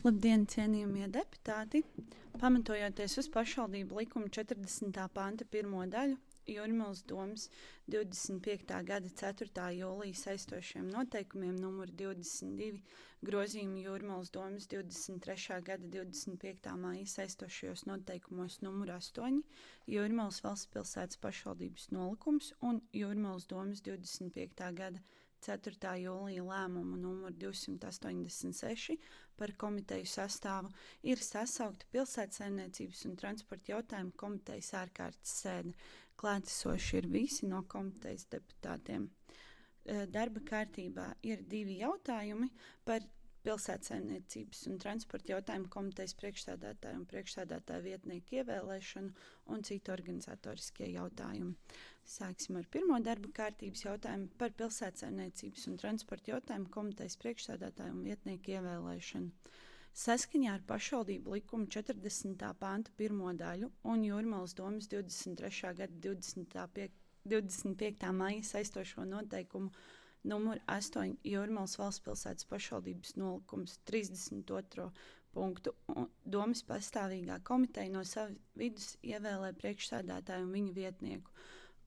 Labdien, cienījamie deputāti! Pamatojoties uz pašvaldību likuma 40. panta 1. daļu, Jūrmalas domes 25. gada 4. jūlija saistošiem noteikumiem numur 22 grozījumi Jūrmalas domes 23. gada 25. māja saistošajos noteikumos numur 8, Jūrmalas valsts pilsētas pašvaldības nolikums un Jūrmalas domes 25. gada 4. jūlija lēmumu numuru 286 par komiteju sastāvu ir sasaukta Pilsētsaimniecības un transporta jautājumu komitejas ārkārtas sēde. Klātesoši ir visi no komitejas deputātiem. Darba kārtībā ir 2 jautājumi par Pilsētsaimniecības un transporta jautājumu komitejas priekšsēdētāju un priekšsēdētāju vietnieku ievēlēšanu un citu organizatoriskie jautājumi. Sāksim ar pirmo darba kārtības jautājumu par Pilsētsaimniecības un transporta jautājumu komitejas priekšsēdētāju un vietnieku ievēlēšanu. Saskaņā ar pašvaldību likumu 40. panta 1. daļu un Jūrmalas domes 23. gada 25. maija saistošo noteikumu numur 8 Jūrmalas valsts pilsētas pašvaldības nolikums 32. punktu domes pastāvīgā komiteja no sava vidus ievēlē priekšsēdētāju un viņa vietnieku.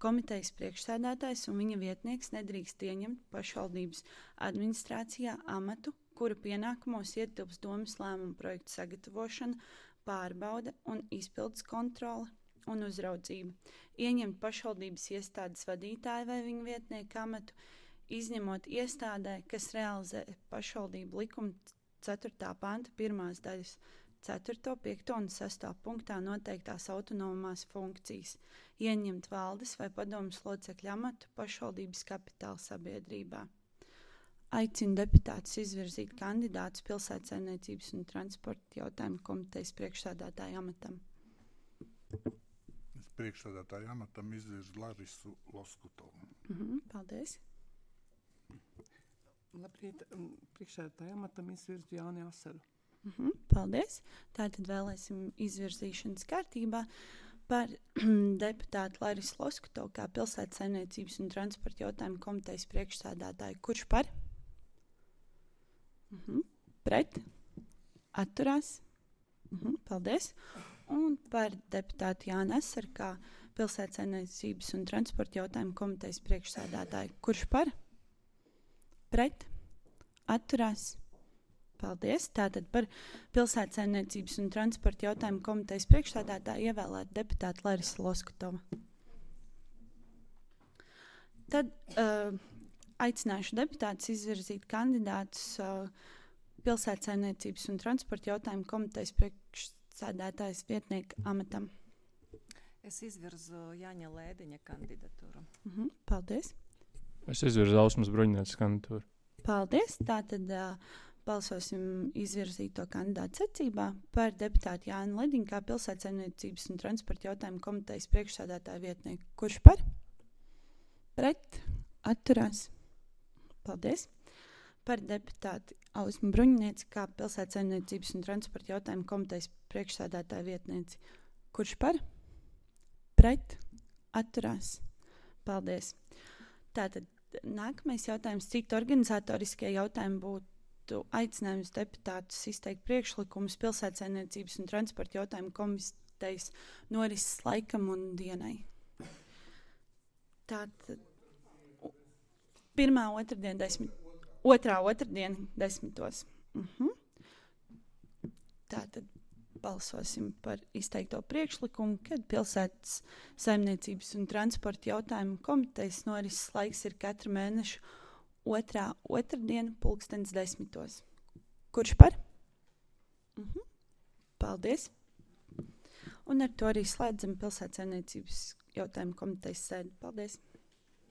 Komitejas priekšsēdētājs un viņa vietnieks nedrīkst ieņemt pašvaldības administrācijā amatu, kura pienākumos ietilps domes lēmumu projektu sagatavošana, pārbaude un izpildes kontrole un uzraudzība, ieņemt pašvaldības iestādes vadītāju vai viņa vietnieku amatu, izņemot iestādē, kas realizē pašvaldību likuma 4. panta 1. daļas 4., 5. un 6. punktā noteiktās autonomās funkcijas, ieņemt valdes vai padomes locekļu amatu pašvaldības kapitāla sabiedrībā. Aicinu deputātus izvirzīt kandidātus Pilsētsaimniecības un transporta jautājumu komitejas priekšsēdētāja amatam. Es priekšsēdētāja amatam izvirzu Larisu Loskutovu. Paldies. Labrīt, priekšsēdētāja amatam izvirzu Jāni Asaru. Paldies. Tātad vēlēsim izvirzīšanas kārtībā par deputātu Larisu Loskutovu kā Pilsētsaimniecības un transporta jautājumu komitejas priekšsēdētāju. Kurš par? Pret? Atturās? Paldies. Un par deputātu Jāni Asaru kā Pilsētsaimniecības un transporta jautājumu komitejas priekšsēdētāju. Kurš par? Pret? Atturās? Paldies. Tātad par Pilsētsaimniecības un transporta jautājumu komitejas priekšsēdētāju ievēlēt deputātu Larisu Loskutovu. Tad aicināšu deputātus izvirzīt kandidātus Pilsētsaimniecības un transporta jautājumu komitejas priekšsēdētājas vietnieka amatam. Es izvirzu Jāņa Lēdiņa kandidatūru. Paldies. Es izvirzu Ausmas Bruņinietes kandidatūru. Paldies. Tātad balsosim izvirzīto kandidātu secībā par deputātu Jāni Lēdiņu kā Pilsētsaimniecības un transporta jautājumu komitejas priekšsēdētāju vietnieku. Kurš par? Pret? Atturās? Paldies. Par deputātu Ausmu Bruņinieci kā Pilsētsaimniecības un transporta jautājumu komitejas priekšsēdētāju vietnieci. Kurš par? Pret? Atturās? Paldies. Tātad nākamais jautājums, citu organizatoriskie jautājumi būtu aicinājums deputātus izteikt priekšlikumus Pilsētsaimniecības un transporta jautājumu komitejas norises laikam un dienai. Tātad otrā otrdiena 10. Tātad balsosim par izteikto priekšlikumu, kad Pilsētsaimniecības un transporta jautājumu komitejas norises laiks ir katra mēneša otrā otrdiena 10:00. Kurš par? Paldies. Un ar to arī slēdzam Pilsētsaimniecības jautājumu komitejas sēdi. Paldies.